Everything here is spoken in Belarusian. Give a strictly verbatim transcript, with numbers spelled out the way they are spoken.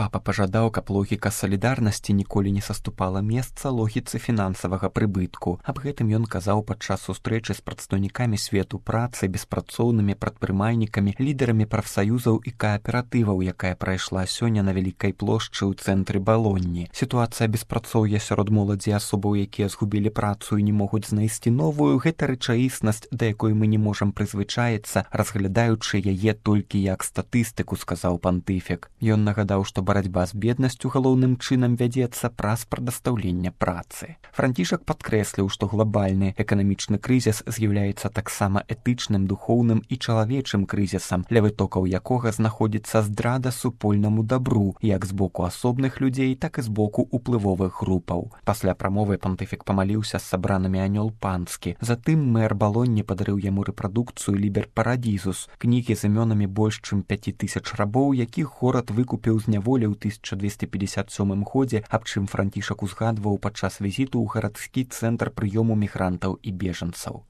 Папа пажадаў, каб логіка салідарнасці ніколі не саступала месца логіцы фінансавага прыбытку. Аб гэтым ён казаў падчас сустрэчы з прадстаўнікамі свету працы, беспрацоўнымі прадпрымальнікамі, лідарамі прафсаюзаў і кааператываў, якая прайшла сёння на вялікай плошчы ў цэнтры Балонні. Сітуацыя беспрацоўя сярод моладзі асобаў, якія згубілі працу і не могуць знайсці новую, гэта рэчаіснасць, да якой мы не можам прызвычаіцца, разглядаючы яе толькі як статыстыку, сказаў пантыфік. Ён нагадаў, што барацьба з беднасцю галоўным чынам вядзецца праз прадастаўленне працы. Францішак падкрэсліў, што глобальны эканамічны крызіс з'яўляецца таксама этычным, духоўным і чалавечым крызісам, ля вытокаў якога знаходзіцца здрада супольнаму дабру, як з боку асобных людзей, так і з боку уплывовых групаў. Пасля прамовы пантыфік памаліўся з сабранымі анёл панскі. Затым мэр Балонні падарыў яму рэпрадукцыю «Лібер Парадізус», кнігі з імёнамі больш чым пяці тысяч рабоў, якіх горад выкупіў з няволі ў тысяча дзвесце пятьдесят сёмым годзе, аб чым Францішак узгадваў падчас візіту ў гарадскі цэнтр прыёму мігрантаў і бежанцаў.